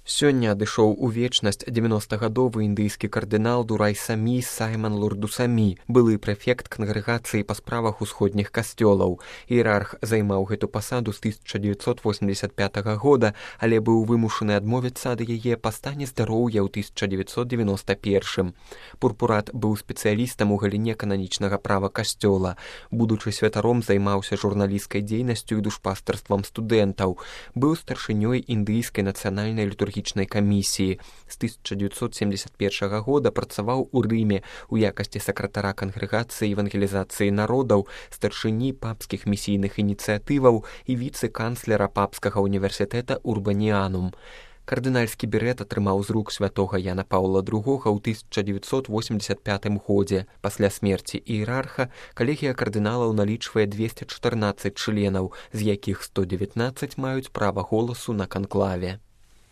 Сёння адышоў у вечнасць 90-гадовы індыйскі кардынал Дурай-Самі Сайман Лурду-Самі, былы прэфект кангрэгацыі па справах усходніх касцёлаў. Іерарх займаў гэту пасаду з 1985 года, але быў вымушаны адмовіцца ад яе па стане здароўя ў 1991. Пурпурат быў спецыялістам у галіне кананічнага права касцёла. Будучы святаром, займаўся журналісцкай дзейнасцю і душпастарствам студэнтаў. Быў старшынёй індыйскай нацыянальнай літургічнай камісіі. З 1971 года працаваў у Рыме у якасці сакратара кангрэгацыі евангелізацыі народаў, старшыні папскіх місійных ініцыятываў і віцэ-канцлера папскага універсітэта Урбаніанум. Кардынальскі берэт атрымаў з рук святога Яна Паўла II ў 1985 годзе. Пасля смерці іерарха калегія кардыналаў налічвае 214 членаў, з якіх 119 маюць права голасу на канклаве.